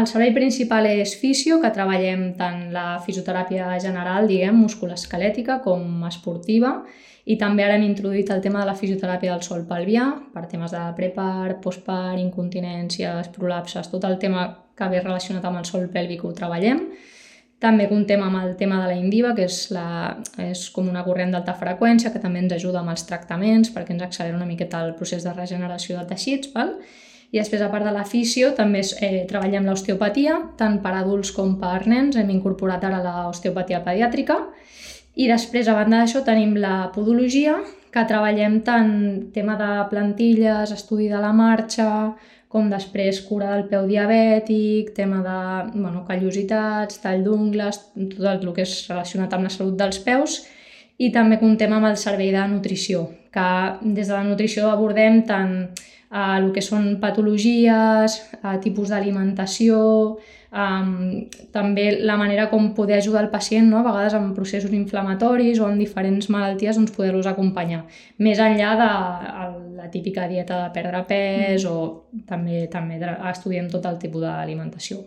El servei principal és fisio, que treballem tant la fisioteràpia general, musculoesquelètica, com esportiva, i també ara hem introduït el tema de la fisioteràpia del sòl pelvià, per temes de prepart, postpart, incontinències, prolapses, tot el tema que ve relacionat amb el sòl pèlvic ho treballem. També comptem amb el tema de la Indiva, que és com una corrent d'alta freqüència, que també ens ajuda amb els tractaments, perquè ens accelera una miqueta el procés de regeneració de teixits, val? I després, a part de la fisio, també treballem l'osteopatia, tant per adults com per nens. Hem incorporat ara l'osteopatia pediàtrica. I després, a banda d'això, tenim la podologia, que treballem tant tema de plantilles, estudi de la marxa, com després cura del peu diabètic, tema de callositats, tall d'ungles, tot el que és relacionat amb la salut dels peus. I també comptem amb el servei de nutrició, que des de la nutrició abordem tant el que són patologies, tipus d'alimentació, també la manera com poder ajudar el pacient, no? A vegades en processos inflamatoris o en diferents malalties, doncs poder-los acompanyar. Més enllà de la típica dieta de perdre pes o també estudiem tot el tipus d'alimentació.